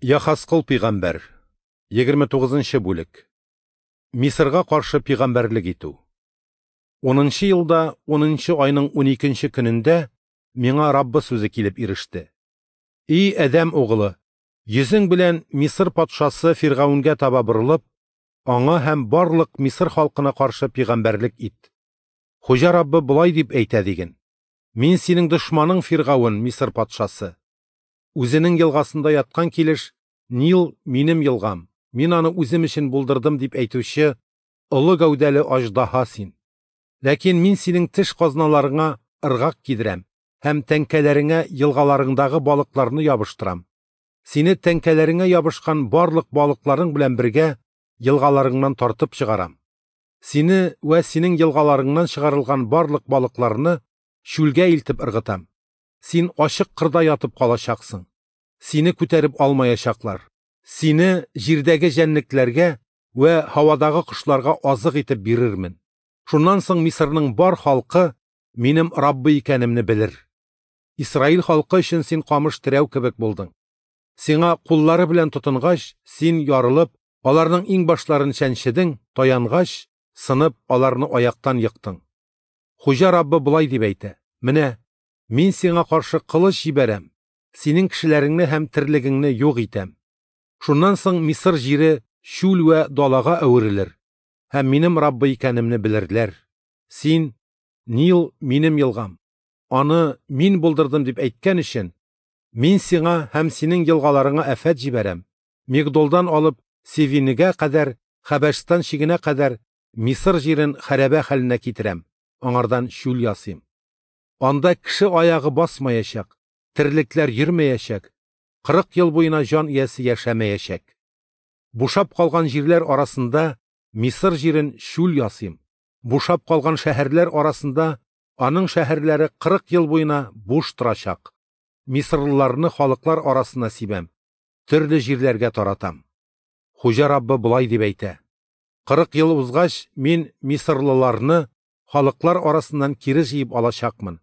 Яхаскыл пигамбәр, 29 нчы бүлек. Мисырга каршы пигамбәрлек итү. Унынчы елда, унынчы айның уникенче көнендә миңа Раббы сүзе килеп иреште. И адәм угылы, йөзең белән Мисыр патшасы Фиргавенгә таба борылып, аңа һәм барлык Мисыр халкына каршы пигамбәрлек ит. Хуҗа Раббы болай дип әйтә диген: Мин синең дошманың Фиргавен, Мисыр патшасы. Үзенең елгасында яткан килеш, Нил минем елгам, мин аны үзем өчен булдырдым дип әйтүче олы гәүдәле аждаһа син. Ләкин мин синең теш казналарыңа ыргак кидерәм һәм тәңкәләреңә елгаларыңдагы балыкларны ябыштырам. Сине тәңкәләреңә ябышкан барлык балыкларың белән бергә елгаларыңнан тартып чыгарам. Сине вә синең елгаларыңнан чыгарылган барлык балыкларны чүлгә илтеп ыргытам. Син ачык кырда ятып калачаксың. Сине күтәреп алмаячаклар. Сине җирдәге җәнлекләргә вә һавадагы кошларга азык итеп бирермен. Шуннан соң Мисырның бар халкы минем Раббы икәнемне белер. Исраил халкы өчен син камыш терәү кебек булдың. Сиңа куллары белән тотынгач, син ярылып, аларның иңбашларын чәнчедең, таянгач, сынып, аларны аяктан ектың. Хуҗа Раббы болай дип әйтә: Менә мин сиңа каршы кылыч җибәрәм, синең кешеләреңне һәм терлегеңне юк итәм. Шуннан соң Мисыр җире чүл вә далага әверелер, һәм минем Раббы икәнемне белерләр. Син, Нил минем елгам, аны мин булдырдым дип әйткән өчен, мин сиңа һәм синең елгаларыңа афәт җибәрәм. Мигдолдан алып Севинегә кадәр, Хәбәшстан чигенә кадәр Мисыр җирен хәрабә хәленә китерәм, аңардан чүл ясыйм. Анда кеше аягы басмаячак, терлекләр йөрмәячәк, 40 ел буена җан иясе яшәмәячәк. Бушап калган җирләр арасында Мисыр җирен чүл ясыйм. Бушап калган шәһәрләр арасында аның шәһәрләре 40 ел буена буш торачак. Мисырлыларны халыклар арасына сибәм, төрле җирләргә таратам. Хуҗа Раббы болай дип әйтә: 40 ел узгач, мин мисырлыларны халыклар арасыннан кире җыеп алачакмын.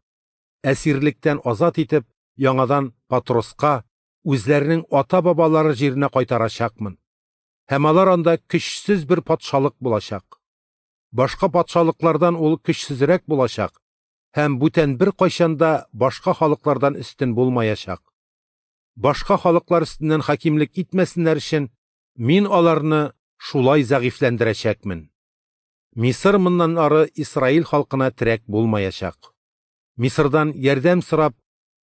Әсирлектән азат итеп, яңадан Патроска, үзләренең ата-бабалары җиренә кайтарачакмын. Һәм алар анда көчсез бер патшалык булачак. Башка патшалыклардан ул көчсезрәк булачак һәм бүтән бер кайчан да башка халыклардан өстен булмаячак. Башка халыклар өстеннән хакимлек итмәсеннәр өчен мин аларны шулай зәгыйфьләндерәчәкмен. Мисыр моннан ары Исраил халкына терәк булмаячак. Мисырдан ярдәм сорап,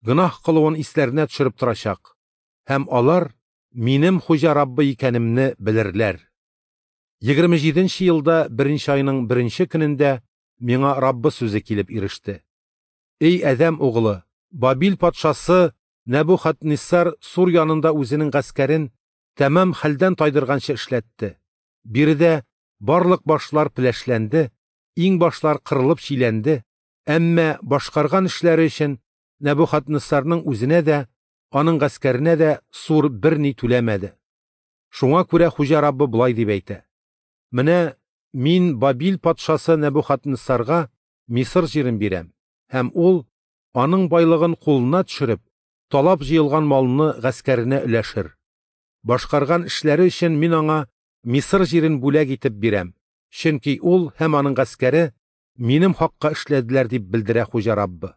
гөнаһ кылуын исләренә төшереп торачак. Һәм алар минем Хуҗа Раббы икәнемне белерләр. 27 елда беренче айның беренче көнендә миңа Раббы сүзе килеп иреште. Эй адәм угылы, Бабил патшасы Нәбухадниссар Сур янында үзенең гаскәрен тәмам хәлдән тайдырганчы эшләтте. Биредә барлык башлар пеләшләнде, иңбашлар кырылып чиләнде, әмма башкарган эшләре өчен Нәбухадниссарның үзенә дә, аның гаскәренә дә Сур берни түләмәде. Шуңа күрә Хуҗа Раббы болай дип әйтә: Менә мин Бабил патшасы Нәбухадниссарга Мисыр җирен бирәм, һәм ул аның байлыгын кулына төшереп, талап җыелган малны гаскәренә өләшер. Башкарган эшләре өчен мин аңа Мисыр җирен бүләк итеп бирәм, чөнки ул һәм аның гаскәре минем хакка эшләделәр дип белдерә Хуҗа Раббы.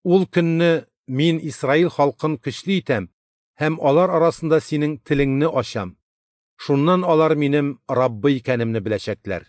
Ул көнне мин Исраил халкын көчле итәм һәм алар арасында синең телеңне ачам. Шуннан алар минем Раббы икәнемне беләчәкләр.